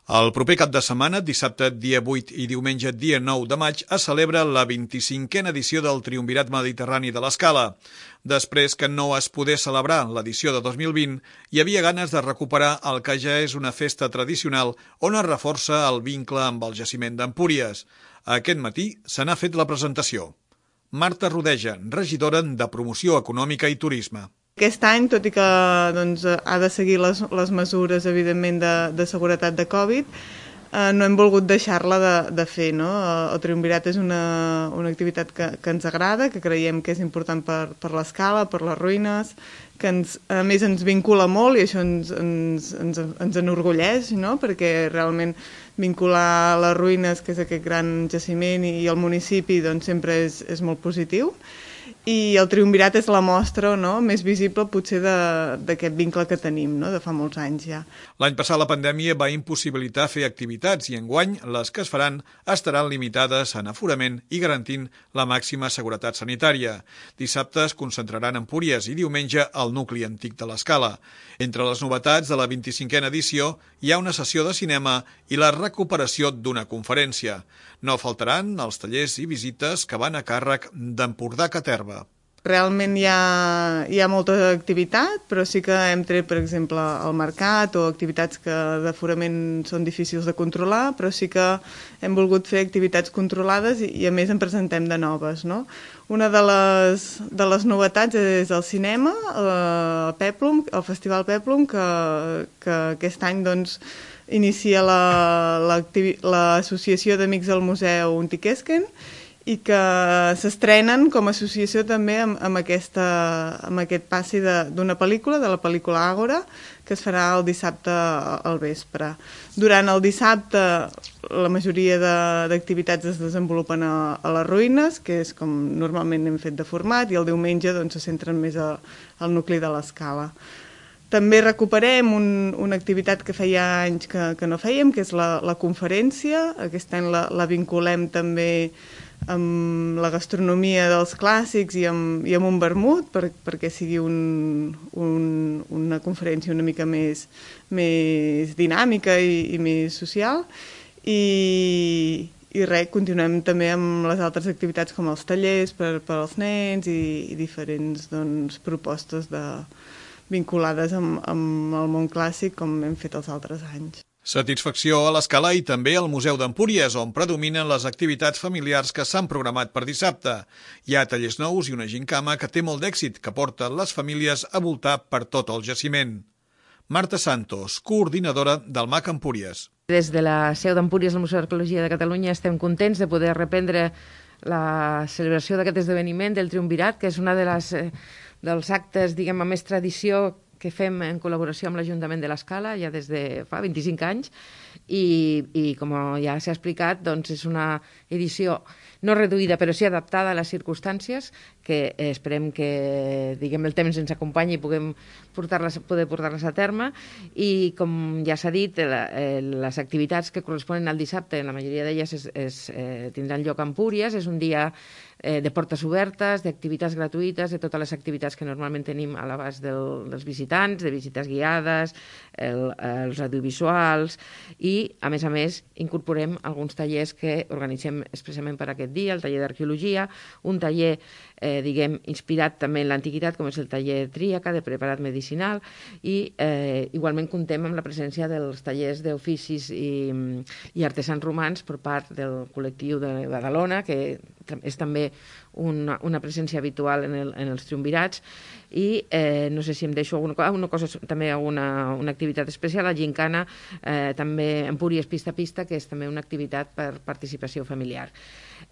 El proper cap de setmana, dissabte dia 8 i diumenge dia 9 de maig, es celebra la 25a edició del Triumvirat Mediterrani de l'Escala. Després que no es pogués celebrar l'edició de 2020, hi havia ganes de recuperar el que ja és una festa tradicional on es reforça el vincle amb el jaciment d'Empúries. Aquest matí se n'ha fet la presentació. Marta Rodeja, regidora de Promoció Econòmica i Turisme. Aquest any, tot i que ha de seguir les mesures, evidentment, de seguretat de Covid, no hem volgut deixar-la de fer, no? El Triumvirat és una activitat que ens agrada, que creiem que és important per l'Escala, per les ruïnes, que a més ens vincula molt i això ens enorgulleix, no? Perquè realment vincular les ruïnes, que és aquest gran jaciment, i el municipi, doncs sempre és molt positiu. I el Triumvirat és la mostra, no?, més visible potser d'aquest vincle que tenim, no?, de fa molts anys ja. L'any passat la pandèmia va impossibilitar fer activitats i enguany les que es faran estaran limitades en aforament i garantint la màxima seguretat sanitària. Dissabte es concentraran en Empúries i diumenge al nucli antic de l'Escala. Entre les novetats de la 25a edició hi ha una sessió de cinema i la recuperació d'una conferència. No faltaran els tallers i visites que van a càrrec d'Empordà Caterva. Realment hi ha molta activitat, però sí que hem tret, per exemple, el mercat o activitats que d'aforament són difícils de controlar, però sí que hem volgut fer activitats controlades i a més en presentem de noves, no? Una de les novetats és el cinema, el Festival Peplum, que aquest any doncs inicia l'associació d'Amics del Museu Untiquesquen i que s'estrenen com a associació també amb aquest passi d'una pel·lícula, de la pel·lícula Àgora, que es farà el dissabte al vespre. Durant el dissabte la majoria d'activitats es desenvolupen a les ruïnes, que és com normalment hem fet de format, i el diumenge doncs, se centren més al nucli de l'Escala. També recuperem una activitat que feia anys que no fèiem, que és la conferència. Aquest any la vinculem també amb la gastronomia dels clàssics i amb un vermut, perquè sigui una conferència una mica més dinàmica i més social. I res, continuem també amb les altres activitats com els tallers per als nens i diferents propostes vinculades amb el món clàssic com hem fet els altres anys. Satisfacció a l'Escala i també al Museu d'Empúries, on predominen les activitats familiars que s'han programat per dissabte. Hi ha tallers nous i una gincama que té molt d'èxit, que porta les famílies a voltar per tot el jaciment. Marta Santos, coordinadora del MAC Empúries. Des de la seu d'Empúries al Museu d'Arqueologia de Catalunya estem contents de poder reprendre la celebració d'aquest esdeveniment del Triumvirat, que és una dels actes, diguem, amb més tradició que fem en col·laboració amb l'Ajuntament de l'Escala ja des de fa 25 anys i com ja s'ha explicat, doncs és una edició no reduïda però sí adaptada a les circumstàncies que esperem que diguem el temps ens acompanyi i poder portar-les a terme i com ja s'ha dit, les activitats que corresponen al dissabte, la majoria d'elles tindran lloc a Empúries, és un dia de portes obertes, d'activitats gratuïtes, de totes les activitats que normalment tenim a l'abast dels visitants, de visites guiades, els audiovisuals i, a més, incorporem alguns tallers que organitzem expressament per aquest dia, el taller d'arqueologia, un taller inspirat també en l'antiguitat, com és el taller Tríaca, de preparat medicinal, i igualment comptem amb la presència dels tallers d'oficis i artesans romans per part del col·lectiu de Badalona, que és també una presència habitual en els triumvirats, i no sé si em deixo alguna cosa, també una activitat especial, la gincana, també Empúries pista a pista, que és també una activitat per participació familiar.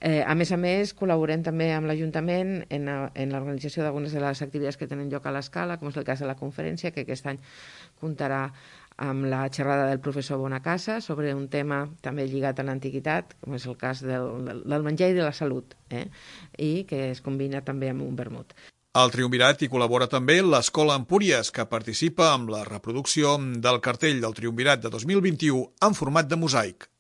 A més, col·laborem també amb l'Ajuntament en l'organització d'algunes de les activitats que tenen lloc a l'Escala, com és el cas de la conferència, que aquest any comptarà amb la xerrada del professor Bonacasa sobre un tema també lligat a l'antiguitat, com és el cas del menjar i de la salut, i que es combina també amb un vermut. Al Triumvirat hi col·labora també l'Escola Empúries, que participa amb la reproducció del cartell del Triumvirat de 2021 en format de mosaic.